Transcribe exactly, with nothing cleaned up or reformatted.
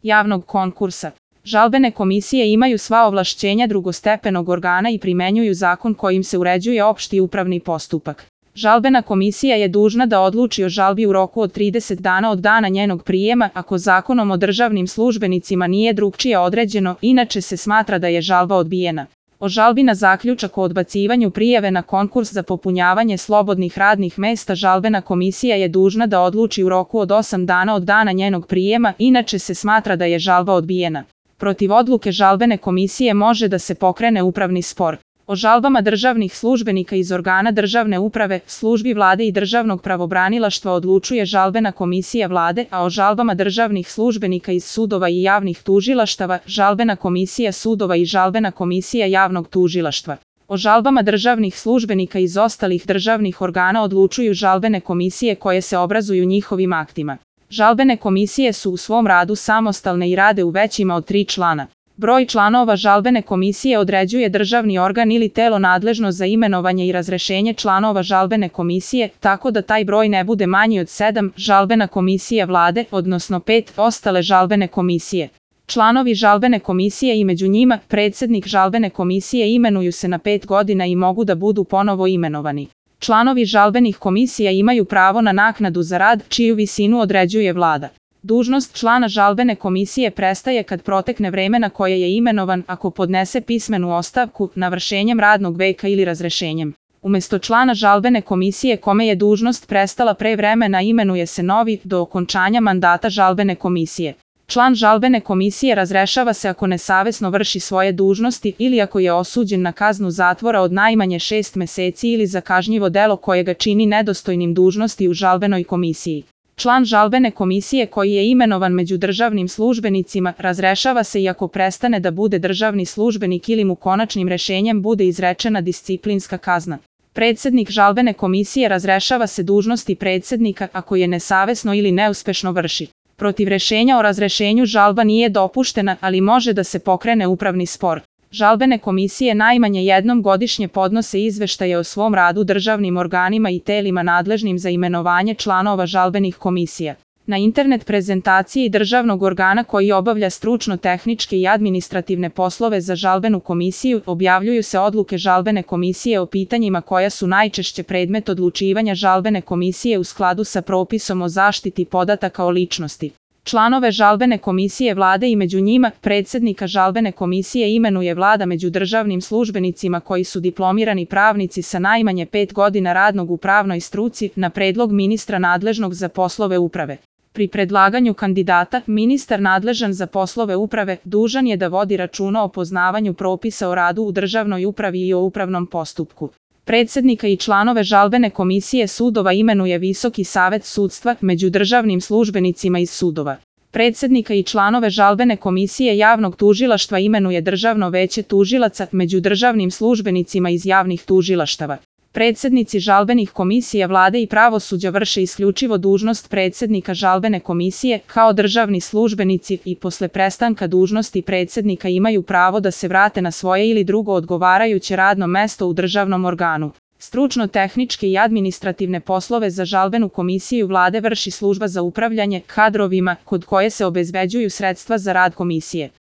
javnog konkursa. Žalbene komisije imaju sva ovlašćenja drugostepenog organa i primenjuju zakon kojim se uređuje opšti upravni postupak. Žalbena komisija je dužna da odluči o žalbi u roku od trideset dana od dana njenog prijema, ako zakonom o državnim službenicima nije drugčije određeno, inače se smatra da je žalba odbijena. O žalbi na zaključak o odbacivanju prijave na konkurs za popunjavanje slobodnih radnih mesta žalbena komisija je dužna da odluči u roku od osam dana od dana njenog prijema, inače se smatra da je žalba odbijena. Protiv odluke žalbene komisije može da se pokrene upravni spor. O žalbama državnih službenika iz organa državne uprave, službi vlade i državnog pravobranilaštva odlučuje žalbena komisija vlade, a o žalbama državnih službenika iz sudova i javnih tužilaštava, žalbena komisija sudova i žalbena komisija javnog tužilaštva. O žalbama državnih službenika iz ostalih državnih organa odlučuju žalbene komisije koje se obrazuju njihovim aktima. Žalbene komisije su u svom radu samostalne i rade u većima od tri člana. Broj članova žalbene komisije određuje državni organ ili telo nadležno za imenovanje i razrešenje članova žalbene komisije, tako da taj broj ne bude manji od sedam, žalbena komisija vlade, odnosno pet, ostale žalbene komisije. Članovi žalbene komisije i među njima, predsednik žalbene komisije imenuju se na pet godina i mogu da budu ponovo imenovani. Članovi žalbenih komisija imaju pravo na naknadu za rad, čiju visinu određuje vlada. Dužnost člana žalbene komisije prestaje kad protekne vreme na koje je imenovan, ako podnese pismenu ostavku, navršenjem radnog veka ili razrešenjem. Umesto člana žalbene komisije kome je dužnost prestala pre vremena imenuje se novi, do okončanja mandata žalbene komisije. Član žalbene komisije razrešava se ako nesavesno vrši svoje dužnosti ili ako je osuđen na kaznu zatvora od najmanje šest meseci ili za kažnjivo delo koje ga čini nedostojnim dužnosti u žalbenoj komisiji. Član žalbene komisije koji je imenovan među državnim službenicima razrešava se i ako prestane da bude državni službenik ili mu konačnim rešenjem bude izrečena disciplinska kazna. Predsednik žalbene komisije razrešava se dužnosti predsednika ako je nesavesno ili neuspešno vrši. Protiv rešenja o razrešenju žalba nije dopuštena, ali može da se pokrene upravni spor. Žalbene komisije najmanje jednom godišnje podnose izveštaje o svom radu državnim organima i telima nadležnim za imenovanje članova žalbenih komisija. Na internet prezentaciji državnog organa koji obavlja stručno-tehničke i administrativne poslove za žalbenu komisiju objavljuju se odluke žalbene komisije o pitanjima koja su najčešće predmet odlučivanja žalbene komisije u skladu sa propisom o zaštiti podataka o ličnosti. Članove žalbene komisije vlade i među njima, predsednika žalbene komisije imenuje vlada među državnim službenicima koji su diplomirani pravnici sa najmanje pet godina radnog u pravnoj struci na predlog ministra nadležnog za poslove uprave. Pri predlaganju kandidata, ministar nadležan za poslove uprave dužan je da vodi računa o poznavanju propisa o radu u državnoj upravi i o upravnom postupku. Predsednika i članove žalbene komisije sudova imenuje Visoki savet sudstva među državnim službenicima iz sudova. Predsednika i članove žalbene komisije javnog tužilaštva imenuje Državno veće tužilaca među državnim službenicima iz javnih tužilaštava. Predsednici žalbenih komisija vlade i pravosuđa vrše isključivo dužnost predsednika žalbene komisije kao državni službenici i posle prestanka dužnosti predsednika imaju pravo da se vrate na svoje ili drugo odgovarajuće radno mesto u državnom organu. Stručno-tehničke i administrativne poslove za žalbenu komisiju vlade vrši služba za upravljanje kadrovima kod koje se obezbeđuju sredstva za rad komisije.